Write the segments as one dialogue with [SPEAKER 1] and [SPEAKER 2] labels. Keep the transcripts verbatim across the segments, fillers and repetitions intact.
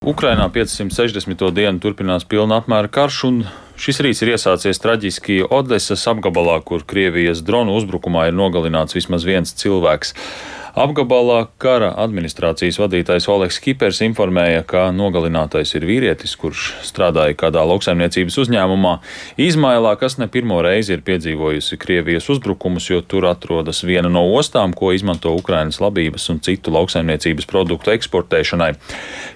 [SPEAKER 1] Ukrainā piecsimt sešdesmito dienu turpinās pilna apmēra karš, un šis rīts ir iesācies traģiski Odesas apgabalā, kur Krievijas dronu uzbrukumā ir nogalināts vismaz viens cilvēks. Apgabalā kara administrācijas vadītājs Oleks Kipers informēja, ka nogalinātais ir vīrietis, kurš strādāja kādā lauksaimniecības uzņēmumā Izmailā, kas ne pirmo reizi ir piedzīvojusi Krievijas uzbrukumus, jo tur atrodas viena no ostām, ko izmanto Ukrainas labības un citu lauksaimniecības produktu eksportēšanai.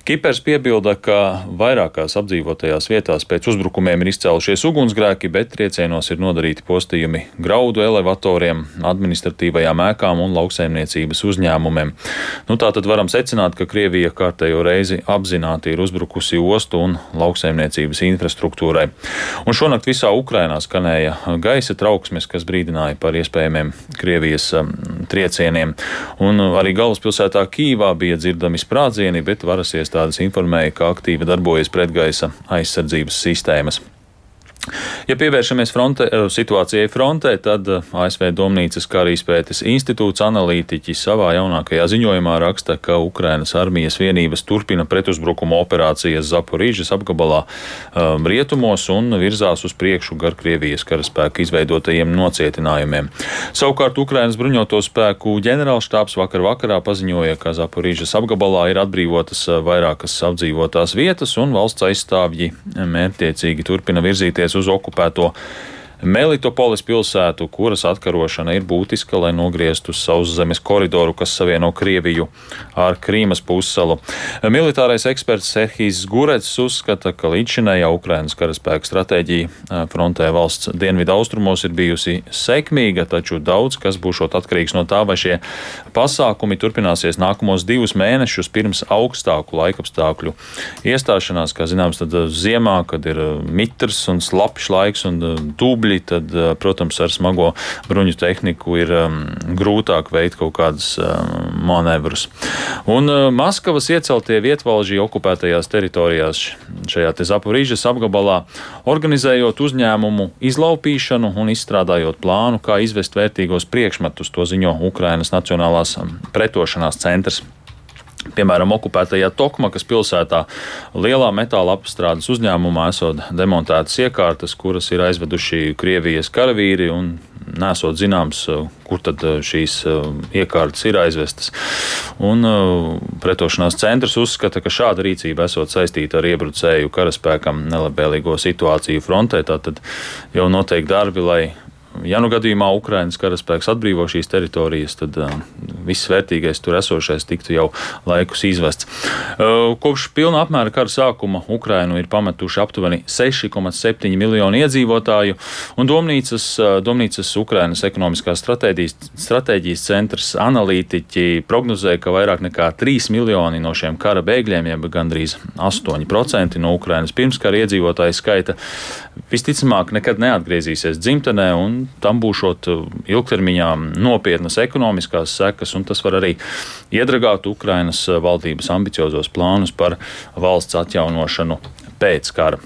[SPEAKER 1] Kipers piebilda, ka vairākās apdzīvotajās vietās pēc uzbrukumiem ir izcēlušies ugunsgrēki, bet triecienos ir nodarīti postījumi graudu elevatoriem, administratīvajām ēkām un lauksaimniecības uzņēmumiem. Nu, tā tad varam secināt, ka Krievija kārtējo reizi apzināti ir uzbrukusi ostu un lauksaimniecības infrastruktūrai. Un šonakt visā Ukrainā skanēja gaisa trauksmes, kas brīdināja par iespējamiem Krievijas triecieniem. Un arī galvaspilsētā Kīvā bija dzirdami sprādzieni, bet varas iestādes informēja, ka aktīvi darbojas pretgaisa aizsardzības sistēmas. Ja pievēršamies fronte, situācijai frontē, tad A S V Domnīcas karīspētes institūts analītiķi savā jaunākajā ziņojumā raksta, ka Ukrainas armijas vienības turpina pretuzbrukuma operācijas Zaporīžas apgabalā um, rietumos un virzās uz priekšu gar Krievijas karaspēku izveidotajiem nocietinājumiem. Savukārt Ukrainas bruņoto spēku ģenerālštābs vakar vakarā paziņoja, ka Zaporīžas apgabalā ir atbrīvotas vairākas apdzīvotās vietas un valsts aizstāvji mērķtiecīgi turpina virzīties uz okupēto Melitopolis pilsētu, kuras atkarošana ir būtiska, lai nogrieztu sauszemes koridoru, kas savieno Krieviju ar Krīmas pussalu. Militārais eksperts Serhijs Gurets uzskata, ka līdzšinējā Ukrainas karaspēka stratēģija frontē valsts dienvidu austrumos ir bijusi sekmīga, taču daudz kas būšot atkarīgs no tā, vai šie pasākumi turpināsies nākamos divus mēnešus pirms augstāku laikapstākļu iestāšanās. Kā zināms, tad ziemā, kad ir mitrs un slapjš laiks un dubļi, tad, protams, ar smago bruņu tehniku ir um, grūtāk veikt kaut kādas um, manevrus. Un uh, Maskavas ieceltie vietvalži okupētajās teritorijās šajā te Zaporīžas apgabalā, organizējot uzņēmumu izlaupīšanu un izstrādājot plānu, kā izvest vērtīgos priekšmetus, to ziņo Ukrainas Nacionālās pretošanās centrs. Piemēram, okupētajā Tokmakas pilsētā lielā metāla apstrādes uzņēmumā esot demontētas iekārtas, kuras ir aizveduši Krievijas karavīri un nesot zināms, kur tad šīs iekārtas ir aizvestas. Un pretošanās centrs uzskata, ka šāda rīcība esot saistīta ar iebrucēju karaspēkam nelabvēlīgo situāciju frontē, tātad jau notiek darbi, lai ja nu gadījumā Ukrainas karaspēks atbrīvo šīs teritorijas, tad uh, viss vērtīgais tur esošais tiktu jau laikus izvests. Uh, kopš pilna apmēra kara sākuma Ukrainu ir pametuši aptuveni seši komats septiņi miljoni iedzīvotāju, un Domnīcas, uh, Domnīcas Ukrainas ekonomiskās stratēģijas, stratēģijas centrs analītiķi prognozēja, ka vairāk nekā trīs miljoni no šiem kara bēgļiem, jeb gandrīz astoņi procenti no Ukrainas pirmskara iedzīvotāju skaita, visticamāk nekad neatgriezīsies dzimtenē, un tam būšot ilgtermiņā nopietnas ekonomiskās sekas, un tas var arī iedragāt Ukrainas valdības ambiciozos plānus par valsts atjaunošanu pēc kara.